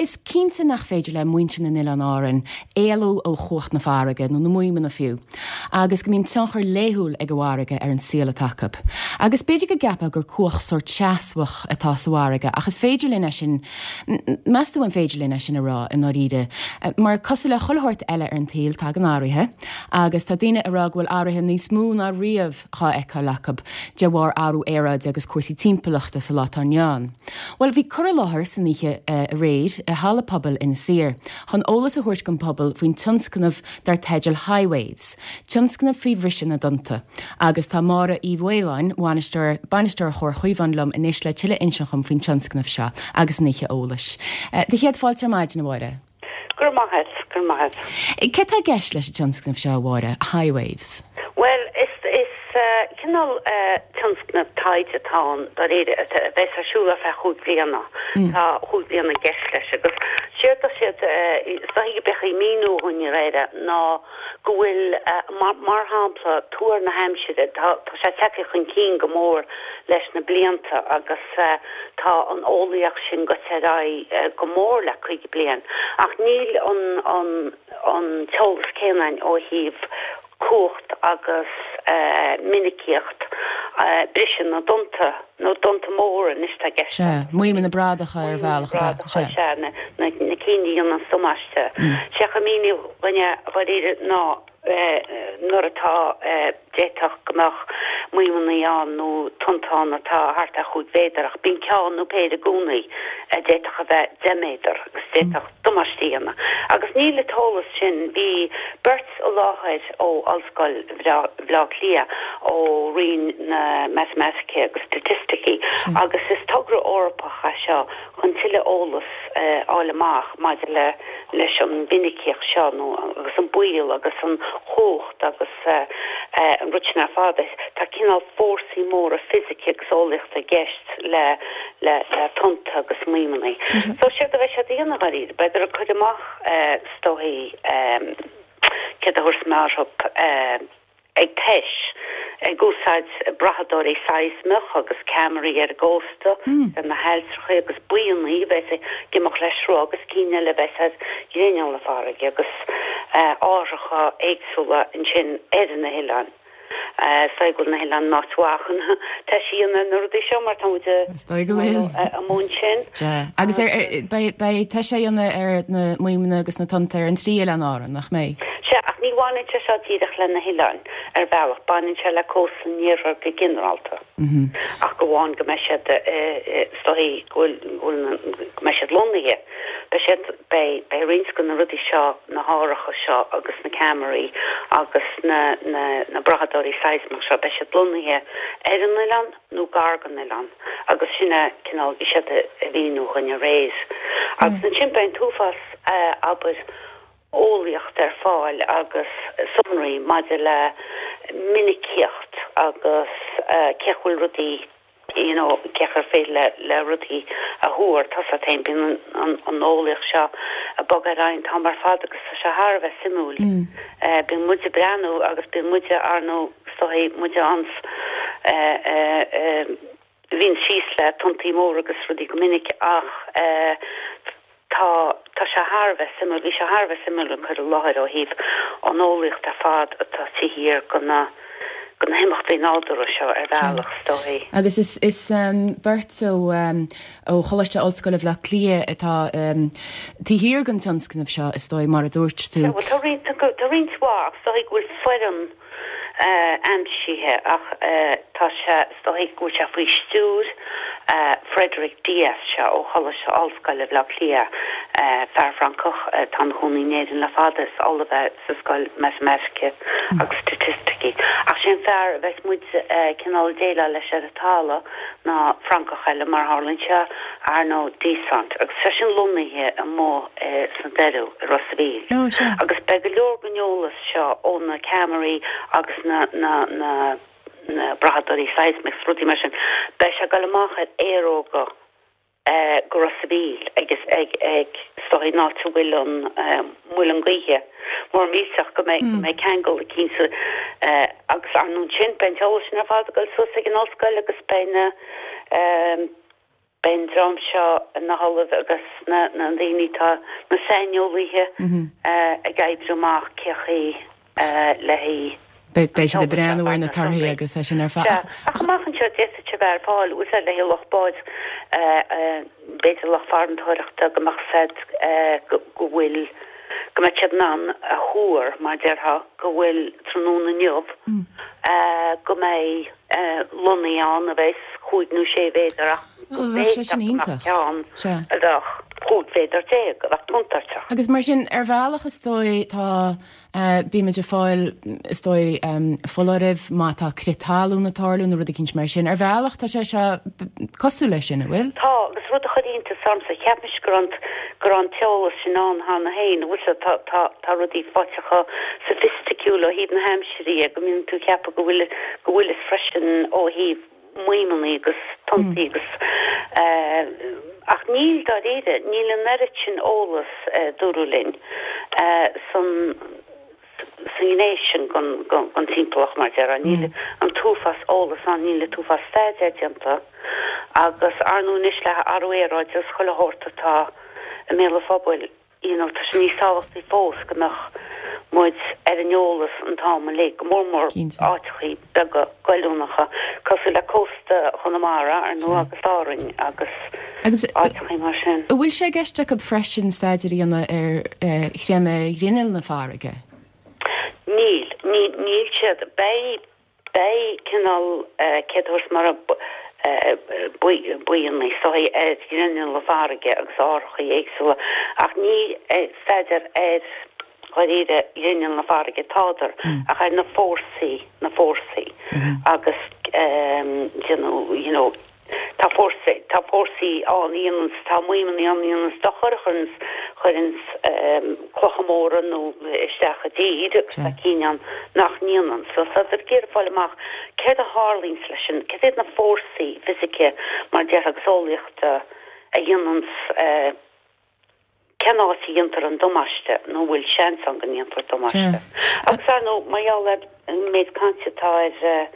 Is cinnte nach féidir le muintir na nOileán Árann éalú ó chumhacht na farraige, nó na maidhmeanna fiú, agus go mbíonn tionchar laethúil ag an bhfarraige ar an saol atá acu. Agus b'fhéidir go gceapfá gur cumhacht sórt seasmhach atá sa bhfarraige ach is féidir linn é sin, meas tú an féidir linn é sin a rá i ndáiríre? Mar cosúil le chuile shórt eile ar an tsaol tagann athruithe agus tá daoine ag rá go bhfuil athruithe níos mó ná riamh dhá fheiceáil acu de bharr athrú aeráide agus cúrsaí timpeallachta sa lá atá inniu ann. Bhuel, bhí cur i láthair san oíche aréir i Halla Pobail Inis Oírr chun eolas a thabhairt don phobal faoin tionscnamh dar teideal High Waves, tionscnamh faoi bhriseadh na dtonnta. Agus tá Máire Uí Mhaoláin, bhainisteoir Bainisteoir Chomhar Chaomháin liom anois le tuilleadh a inseacht dhom faoin tionscnamh seo agus an oíche eolais. Do chéad fáilte ar maidin, a Mháire. Go raibh maith agat, go raibh maith agat. Céard tá i gceist leis an tionscnamh seo, a Mháire, High Waves? Bhuel, is, is cineál tionscnamh taighde atá ann, dáiríre, a bheas ar siúl ar feadh chúig bliana. Tá chúig bliana i gceist leis agus séard tá siad, is dóichí go mbeadh ag míniú dhúinn dáiríre ná go bhfuil, mar, mar shampla, tuar na haimsire, tá, tá sé tagtha chun cinn go mór leis na blianta agus tá an eolaíocht sin goite ar aghaidh go mór le 50 bliain ach níl an, an, an t-eolas céanna againn ó thaobh cumhacht agus minicíocht briseadh na dtonnta, nó dtonnta móra anois atá i gceist. Sea, maidhmeanna bradacha ar bhealach, ab ea? Sea. Sea, na, na cinn a dhéanann damáiste. Sé a míniú dhuine dháiríre ná nuair atá, d'fhéadfadh go mbeadh maidhmeanna ann nó tonnta ann atá thart ar chúig mhéadar ach bíonn ceann nó péire i gcónaí a d'fhéadfadh a bheith 10 méadar agus d'fhéadfadh damáiste a dhéanamh. Agus níl an t-eolas sin. Bhí beirt i láthair ó Ollscoil Bhaile Átha Cliath, ó Roinn na Matamaitice agus Staitisticí, agus is togra Eorpach é seo chun tuilleadh eolas a fháil amach maidir le leis an mhinicíocht seo nó agus an baol agus an chumhacht agus an rud sin ar fad. Tá cineál fórsaí móra fisice agus eolaíochta i gceist le le le tonnta agus maidhmeanna. So séard a bheidh siad a dhéanamh dháiríre, beidh ag cur amach is dóichí céard a thabharfas mé orthu ag tomhas, ag úsáid brathadóirí seismeach agus ceamaraí ar an gcósta, ar na hailltreacha agus buíonnaí a bheas ag imeacht le sruth agus cinn eile a bheas ar ghrinneall na farraige agus áithreacha éagsúla ansin ar na hoileáin. Is dóigh go bhfuil na hoileáin in áit mhaith chun tomhais a dhéanamh ar na rudaí seo mar tá muid Is dóigh go bhfuil. amuigh ansin. Sea. Agus beidh tomhas á dhéanamh ar na maidhmeanna agus na tonnta ar an trí oileán Árann, nach mbeidh? Sea, ach ní bhaineann sé seo díreach le na hoileáin, ar bhealach. Baineann sé le cósta an iarthair go ginearálta. Ach go amháin go mbeidh siad, is dóigh go bhfuil, go mbeidh siad lonnaithe. Beidh siad, beidh, beidh roinnt de na rudaí seo, na háithreacha seo agus na ceamaraí agus na, na, na brathadóirí seismeach seo, beidh siad lonnaithe ar an oileán nó gar don oileán agus sin é cineál, bhí siad a mhíniú dhúinn aréir. Agus ansin beidh an t-uafás, abair, eolaíocht ar fáil agus sonraí maidir le minicíocht agus cén chaoi a bhfuil rudaí, you know cén chaoi ar féidir le le rudaí a thuar, tá 's a't fhéin, bíonn an an eolaíocht seo ag bogadh ar aghaidh an t-am ar fad agus tá sé thar a bheith suimiúil. Bíonn muid ag breathnú agus bíonn muide ar ndóigh is dóichí muide ans eh bhíonn síos le tonntaí móra agus rudaí go minic ach eh Tá, tá sé thar a bheith suimiúil, bhí sé thar a bheith suimiúil an cur i láthair ó thaobh an eolaíocht ar fad atá taobh thiar de na, de na himeachtaí nádúrtha seo ar bhealach, is dóichí. Agus is, is beirt ó, ó Choláiste Ollscoile Bhaile Átha Cliath atá taobh thiar den tionscnamh seo, is dóigh, mar a dúirt tú. Bhuel, tá roinnt, tá roinnt mhaith ach is dóichí go bhfuil foireann aimsithe ach tá sé, is dóichí go bhfuil sé faoi stiúir Frédéric Dias seo ó Choláiste Ollscoile Bhaile Átha Cliath, fear Francach atá ina chónaí in Éirinn le fada, is ollamh é sa Scoil Matamaitice agus Staitisticí. Ach sé an fear a bheas muid cineál ag déileáil leis ar an talamh ná Francach eile mar a tharlaíonn sé, Arnaud Dissart, agus tá seisean lonnaithe amuigh sna Doiriú i Ros a' Mhíl. Agus beidh go leor den eolas seo ó na ceamaraí agus na na na na brathadóirí seismic 's rudaí mar sin, beidh sé ag dul amach ar aeróga go Ros a' Mhíl agus ag ag is dóichí an áit a bhfuil an muileann gaoithe mór millteach go mbeidh go mbeidh ceangal eicínt agus ar ndóigh ansin beidh an t-eolas sin ar fad ag dul suas ag an ollscoil agus beidh na. Beidh an dream seo, na hollaimh agus na daoine atá, na saineolaithe ag oibriú amach cé chaoi le haghaidh. Beidh siad ag breathnú ar na torthaí agus é sin ar fad. Sea, ach amach anseo d'fhéadfadh sé bheith ar fáil, úsáid le haghaidh lucht báid, b'fhéidir lucht farantóireachta go mbeadh said go bhfuil, go mbeadh siad in ann a thuar, mar déarfá, go bhfuil tráthnóna inniu, go mbeidh. lonnaí ann a bheas chúig nó sé mhéadar ach go b'fhéidir go mbeadh ceann a bheadh 15 mhéadar a bheadh contúirteach. Agus mar sin, ar bhealach is dóigh tá, bímid ag fáil is dóigh foláirimh má tá crith talún ag tarlú nó rud eicínt mar sin. Ar bhealach tá sé seo cosúil leis sin, an bhfuil? Tá, agus rud a chuir iontas ormsa, cheap mise go raibh go raibh an t-eolas sin ann cheana féin, bhfuil 's a'd, tá, tá rudaí faighte chomh soifisticiúil ó thaobh na haimsire, de go mbíonn tú ag ceapadh go bhfuil go bhfuil is freisin ó thaobh maidhmeanna agus tonntaí agus ach níl dáiríre, níl an oiread sin eolas dúradh linn san sa ngné sin den timpeallacht mar déarfá. Níl an t-uafás eolas ann, níl an t-uafás staidéir déanta agus ar ndóigh anois le hathrú aeráide agus chuile shórt atá i mbéal an phobail, you know tá sé níos tábhachtaí fós go mbeadh muid ar an eolas an t-am uilig, go mór mór áiteachaí beaga goilliúnacha cosúil le cósta Chonamara, ar ndóigh, agus Árainn agus áiteachaí mar sin. An bhfuil sé i gceist acu freisin staidéar a dhéanamh ar chreimeadh ghrinneall na farraige? Níl, níl siad. Beidh Beidh cineál céad thuras mara buíonna is dóigh ar ghrinneall na farraige agus árthachaí éagsúla ach ní staidéar ar dháiríre ghrinneall na farraige atádar ach ar na fórsaí, na fórsaí agus déanamh you know Tá fórsaí, tá fórsaí ann a dhéananns, tá maidhmeanna ann a dhéananns dochar, a chuireanns, chuireanns clocha móra nó isteach i dtír agus tá cinn ann nach ndéanann. So tá siad ag iarraidh fáil amach céard a tharlaíonns leis an, céard iad na fórsaí fisice mar déarfá agus eolaíochta a dhéananns, Cén áit a dhéantar an damáiste nó an bhfuil seans ann go ndéanfar damáiste? Agus ar ndóigh, mar gheall ar an méid cainte atá ar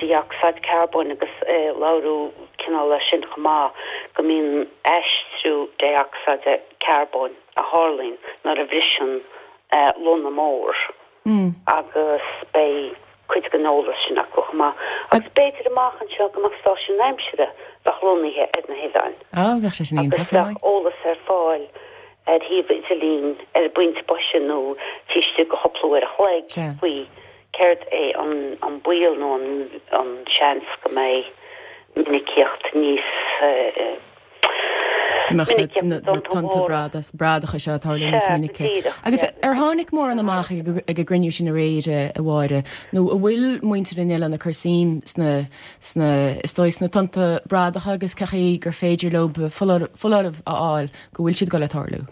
dé-ocsaíd carbóin agus labhradh cineál air sin chomh maith, go mbíonn aistriú dé-ocsaíde carbóin a tharlaíonn nuair a bhriseann lonna mór. agus beidh cuid den eolas sin acu chomh maith. Agus b'fhéidir amach anseo go mbeadh stáisiún aimsire bheadh lonnaithe ar na hoileáin. Á, bheadh sé sin iontach, Agus bheadh eolas ar fáil ar shuíomh idirlín ar an bpointe boise nó taobh istigh de chúpla uair a chloig faoi céard é an baol nó an seans go mbeidh minicíocht níos Go mbeadh na tonnta bradacha seo ag tarlú níos minice. Agus ar tháinig mórán amach ag an gcruinniú sin aréir, a Mháire, nó an bhfuil muintir na n-oileán ag cur suim sna, sna, is dóigh, sna tonnta bradacha agus cén chaoi gur féidir leo foláireamh a fháil go bhfuil siad ag dul ag tarlú?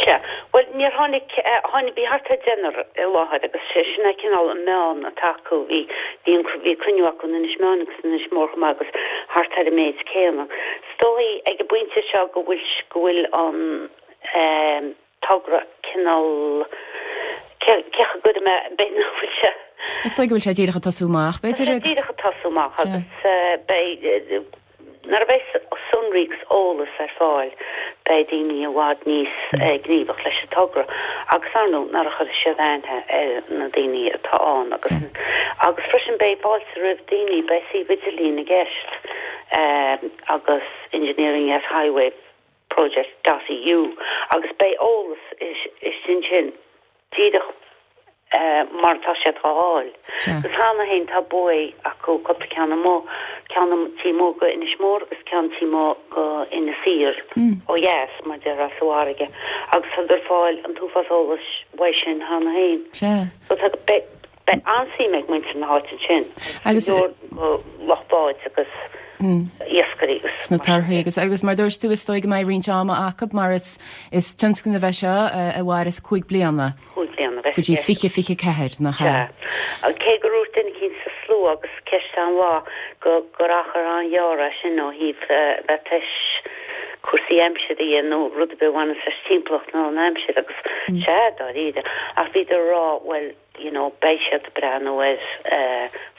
Sea. Bhuel, níor tháinig, tháinig, bhí thart ar deichniúr i láthair agus sé sin é cineál an meán atá acu. Bhí, bhí an, bhí cruinniú acu in Inis Meáin agus in Inis Mór chomh maith agus thart ar an méid céanna. Is dóigh ag an bpointe seo go bhfuil, go bhfuil an eh togra cineál, cé, cé chaoi a gcuirfidh mé, b'fhéidir nach bhfuil sé. Is dóigh go bhfuil sé díreach ag tosú amach, b'fhéidir, agus. Tá sé díreach ag tosú amach agus eh beidh, Nuair a bheidh sonraí agus eolas ar fáil beidh daoine i bhfad níos gníomhach leis an togra agus ar ndóigh nuair a chuirfidh siad aithne ar na daoine atá ann agus agus freisin beidh fáilte roimh daoine, beidh suíomh idirlín i gceist agus engineering at highwave project dot eu agus beidh eolas istigh ansin díreach mar atá siad á fháil. Agus cheana féin tá buaidh acu, cúpla ceann amuigh, ceann taobh amuigh go Inis Mór agus ceann taobh amuigh go Inis Oírr ó dheas, mar déarfá, sa bhfarraige. Agus tá ag fáil an t-uafás eolais uaidh sin cheana féin. So tá, beidh, beidh an-suim ag muintir na háite ansin, agus go leor lucht báid agus iascairí agus sna torthaí agus agus mar dúirt tú is dóigh go mbeidh roinnt ama acu mar is is tionscnamh é seo a mhairfeas 5 bliana. 5 bliana go dtí 2024, nach ea? Sea. Cé gur dhúirt duine eicínt sa slua agus ceist an-mhaith go gur achar an-ghearr é sin ó thaobh bheith tar éis cúrsaí aimsire dhe nó rud ar bith a bhaineas leis timpeallacht nó an aimsir agus sea, dáiríre. Ach bhíodar ag rá bhuel, you know, beidh siad ag breathnú ar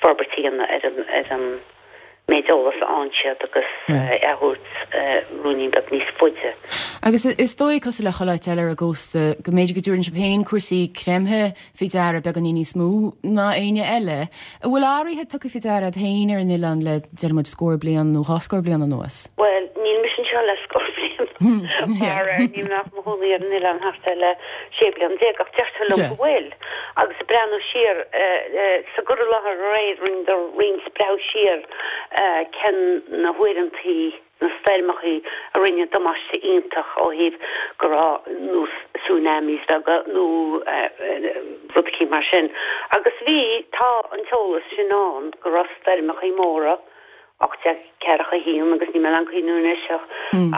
forbairt a dhéanamh ar an, ar an. méid eolas a fhaigheann siad agus é a thabhairt ruainnín beag níos faide. Agus is dóigh, cosúil le chuile áit eile ar an gcósta, go mb'fhéidir go dtabharann sibh féin cúrsaí creimthe faoi deara beagáinín níos mó ná éinne eile. An bhfuil athruithe tugtha faoi deara agat féin ar an oileán le, déarfaidh muid, scór bliain nó dhá scór bliain anuas? Bhuel, níl mise anseo le scór bliain, mar níl mé ach i mo chónaí ar an oileán thart ar le 16 bliain, ach deirtear liom go bhfuil. Agus ag breathnú siar sa gcur i láthair aréir, rinneadar roinnt breathnú siar cén na huaireantaí, na stoirmeachaí a rinne damáiste iontach ó thaobh go raibh nós tsunamis beaga nó rud eicínt mar sin. Agus bhí, tá an t-eolas sin ann go raibh stoirmeachaí móra, 1841 agus níl mé in ann cuimhniú anois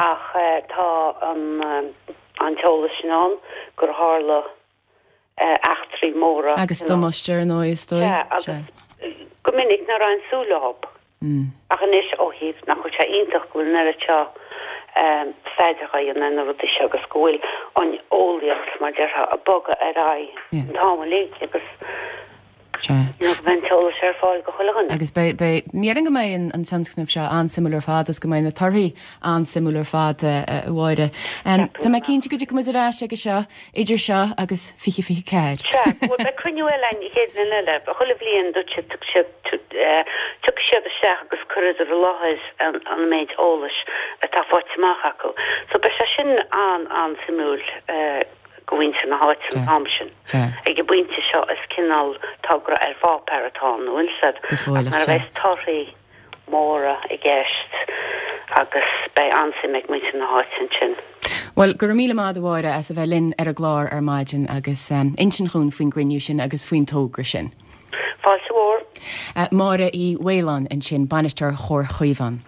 ach tá an t-eolas sin ann gur tharla eachtraí móra. Agus damáiste ar ndóigh, is dóigh. Sea, agus go minic nach raibh aon súil leo. Ach anois, ó thaobh nach bhfuil sé iontach go bhfuil an oiread seo staidéar á dhéanamh ar na rudaí seo agus go bhfuil an eolaíocht, mar déarfá, ag bogadh ar aghaidh an t-am uilig agus Sea. you know, go mbeidh an t-eolas ar fáil go chuile dhuine. Agus beidh, beidh, déarfainn go mbeidh an, an tionscnamh seo an-suimiúil ar fad agus go mbeidh na torthaí an-suimiúil ar fad, a, a Mháire. Tá mé cinnte go dtiocfaidh muid ar ais aige seo, idir seo agus 2024. Sea, bhuel beidh cruinniú eile againn an chéad bhliain eile. Chuile bhliain dúirt siad, tiocfaidh siad, tiocfaidh siad isteach agus cuirfidh i láthair an, an méid eolais atá faighte amach acu. So beidh sé sin an, an-suimiúil. go mhuintir na háite an t-am sin. Ag an bpointe seo is cineál togra ar pháipéar atá ann, an bhfuil 'fhios a'd, ach nuair a bheas torthaí móra i gceist agus beidh an-suim ag muintir na háite ansin. Bhuel, go raibh míle maith a'd a Mháire as a bheith linn ar an gclár ar maidin agus insint dhúinn faoin gcruinniú sin agus faoin togra sin. Fáilte mhór. Máire Uí Mhaoláin ansin, Bainisteoir Chomhar Chaomhán.